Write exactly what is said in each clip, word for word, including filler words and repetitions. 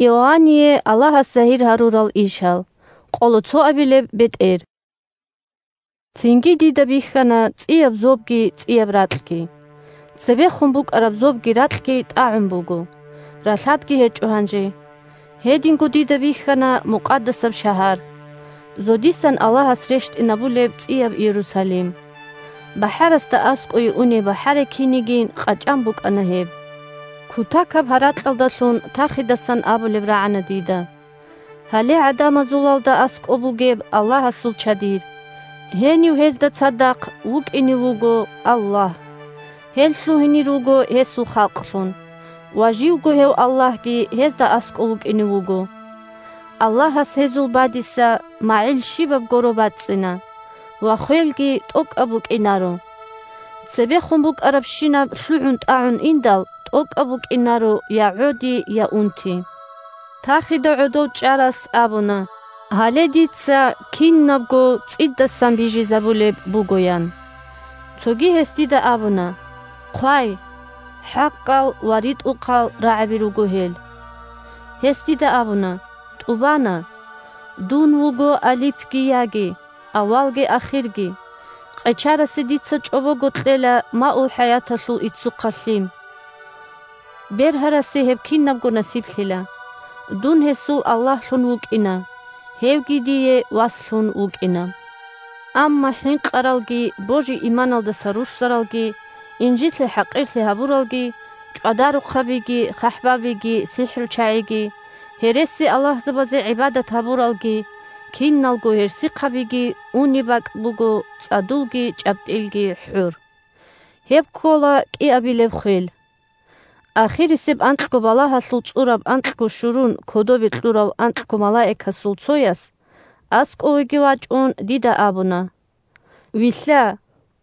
Иоанние Аллагьас загьир гьарурал ишал. Къоло цоабилеб бетӀер. Цинги дида бихьана цӀияб зобги цӀияб ракьги. Цебехун букӀараб зобги ракьги тӀагӀун буго, ралъадги гьечӀо гьанже. Гьединго дида бихьана мукъадасаб шагьар, зодисан Аллагьас рещтӀинабулеб цӀияб Иерусалим. БахӀарасда аскӀове унеб бахӀарай кинигин къачӀан букӀана гьеб. Кутакаб гьаракьалдалъун тахидасан абулеб рагӀана дида: «Гьале гӀадамазулалда аскӀоб бугеб Аллагьасул чадир. Гьенив гьезда цадахъ вукӀине вуго Аллагь. Гьел лъугьине руго гьесул халкълъун, ва живго гьев Аллагьги гьезда аскӀов вукӀине вуго. Аллагьас гьезул бадиса магӀил щибаб горо бацӀцӀина, ва хвелги тӀокӀаб букӀинаро. Цебехун букӀарабщинаб лъугӀун-тӀагӀун индал, тӀокӀаб букӀинаро я гӀоди, я унти». Тахида гӀодов чӀарас абуна: «Гьале дица кинабго цӀидасан бижизабулеб буго», – ян. Цоги гьес дида абуна: «Хъвай, хӀакъал ва ритӀухъал рагӀаби руго гьел». Гьес дида абуна: «ТӀубана. Дун вуго алипги яги, авалги ахирги. Къечарасе дица чӀобого кьела маул хӀаяталъул иццухъа лъим. Бергьарасе гьеб кинабго насиблъила. Дун гьесул Аллагьлъун вукӀина, гьевги дие васлъун вукӀина. Амма хӀинкъаралги, божи-иманалдаса руссаралги, инжитлъи-хӀакъирлъи гьабуралги, чӀвадарухъабиги, хъахӀбабиги, сихӀручагӀиги, гьереси-аллагьзабазе гӀибадат гьабуралги, киналго гьерсихъабиги унеб бакӀ буго цӀадулги чӀабтӀилги хӀур. Гьеб ккола кӀиабилеб хвел. Ахирисеб анкьго балагьалъул цӀураб анкьго щурун кодобе кьурав анкьго малаикасул цояс, аскӀовеги вачӀун, дида абуна: Вилълъа,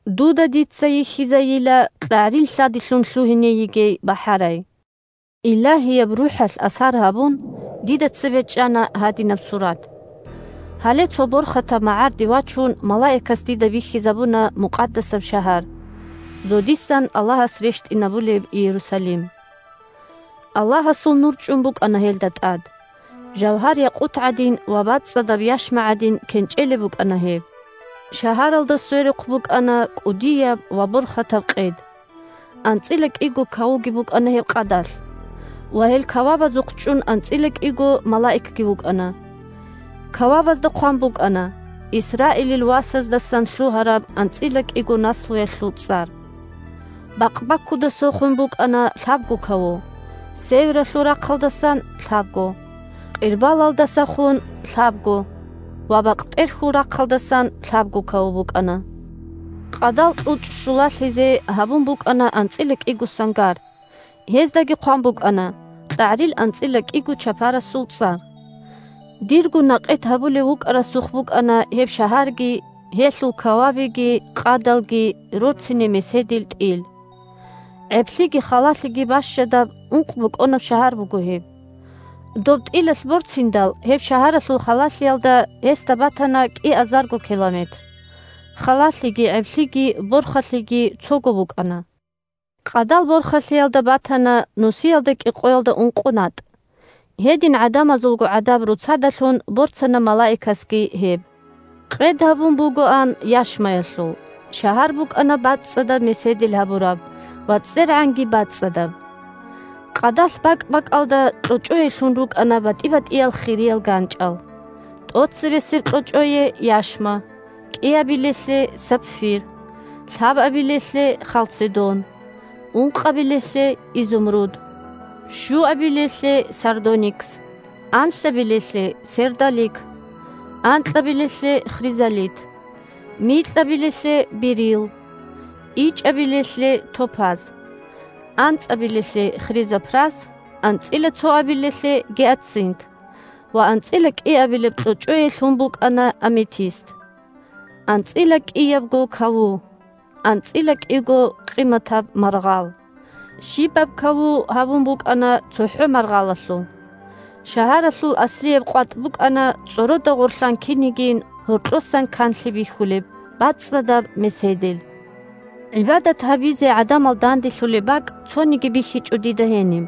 дуда дица йихьизайила кьагӀрил лъадилъун лъугьине йигей бахӀарай. Илагьияб РухӀалъ асар гьабун, дида цебе чӀана гьадинаб сурат. Гьале цо борхатаб магӀарде вачун, малаикас дида бихьизабуна мукъадасаб шагьар, зодисан Аллагьас рещтӀинабулеб Иерусалим. Аллагьасул нур чӀун букӀана гьелда тӀад. Жавгьар-якъут гӀадин ва бацӀцӀадаб яшма гӀадин кенчӀелеб букӀана гьеб. Шагьаралда сверухъ букӀана кӀудияб ва борхатаб къед. АнцӀила кӀиго кавуги букӀана гьеб къадалъ. Ва гьел кавабазухъ чӀун анцӀила кӀиго малаикги вукӀана. Кавабазда хъван букӀана: «Исраилил васаздасан лъугьараб анцӀила кӀиго наслуялъул цӀар». Бакъбаккудасухъун букӀана лъабго каву, севералъул рахъалдасан лъабго, къирбалалдасахун лъабго ва бакътӀерхьул рахъалдасан лъабго каву букӀана. Къадал кьучӀ щулалъизе гьабун букӀана анцӀила кӀиго сангар. Гьездаги хъван букӀана кьагӀрил анцӀила кӀиго чапарасул цӀар. Дирго накъет гьабулев вукӀарасухъ букӀана гьеб шагьарги, гьелъул кавабиги, къадалги, рорцине меседил тӀил. ГӀеблъиги халалъиги бащадаб ункъ бокӀонаб шагьар буго гьеб. Доб тӀилалъ борциндал, гьеб шагьаралъул халалъиялда гьесда батана кӀиазарго километр. Халалъиги гӀеблъиги борхалъиги цого букӀана. Къадал борхалъиялда батана нусиялда кӀикъоялда ункъо натӀ. Гьедин гӀадамазулго гӀадаб роцадалъун борцана малаикасги гьеб. Къед гьабун бугоан яшмаялъул, шагьар букӀана бацӀцӀадаб меседил гьабураб ва цӀергӀанги бацӀцӀадаб. Къадалъ бакӀ-бакӀалда кьочӀое лъун рукӀана батӀи-батӀиял хириял ганчӀал. ТӀоцебесеб кьочӀое яшма, кӀиабилелъе сапфир, лъабабилелъе халцедон, ункъабилелъе изумруд, щуабилелъе сардоникс, анлъабилелъе сердолик, анкьабилелъе хризолит, микьабилелъе берилл, ичӀабилелъе топаз, анцӀабилелъе хризопрас, анцӀила цоабилелъе гиацинт ва анцӀила кӀиабилеб кьочӀое лъун букӀана аметист. АнцӀила кӀиябго каву, анцӀила кӀиго къиматаб маргъал. Щибаб каву гьабун букӀана цохӀо маргъалалъул. Шагьаралъул аслияб къватӀ букӀана цӀорода гъорлъан кинигин гьоркьосан канлъи бихьулеб бацӀцӀадаб меседил. ГӀибадат гьабизе гӀадамал данделъулеб бакӀ цониги бихьичӀо дида гьениб.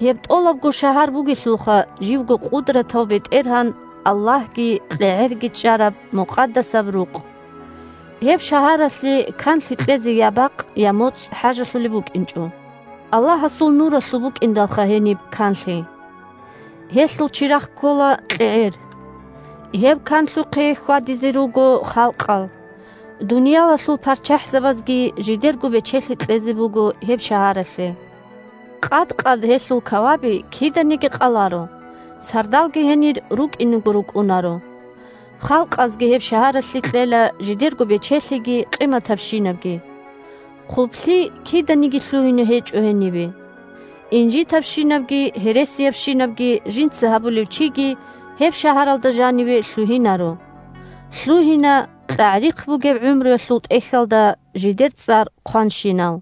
Гьеб тӀолабго шагьар бугелъулха живго къудратав БетӀергьан, Аллагьги кьегӀерги чӀараб мукъадасаб рукъ. Гьеб шагьаралъе канлъи кьезе я бакъ, я моцӀ хӀажалъулеб букӀинчӀо. Аллагьасул нуралъул букӀиндалха гьениб канлъи. Гьелъул чирахъ ккола кьегӀер. Гьеб канлъухъе хьвадизе руго халкъал. Дуниялалъул парччахӀзабазги жидерго бечелъи кьезе буго гьеб шагьаралъе. Къад-къад гьелъул каваби киданиги къаларо, сардалги гьенир рукӀинего рукӀунаро. Халкъазги гьеб шагьаралъе кьела жидерго бечелъиги къиматабщинабги. Хъублъи киданиги лъугьине гьечӀо гьенибе. Инжитабщинабги гьересиябщинабги жинца гьабулев чиги гьеб шагьаралда жаниве лъугьинаро. Лъугьина кьагӀрихъ бугеб гӀумруялъул тӀехьалда жидер цӀар хъванщинал.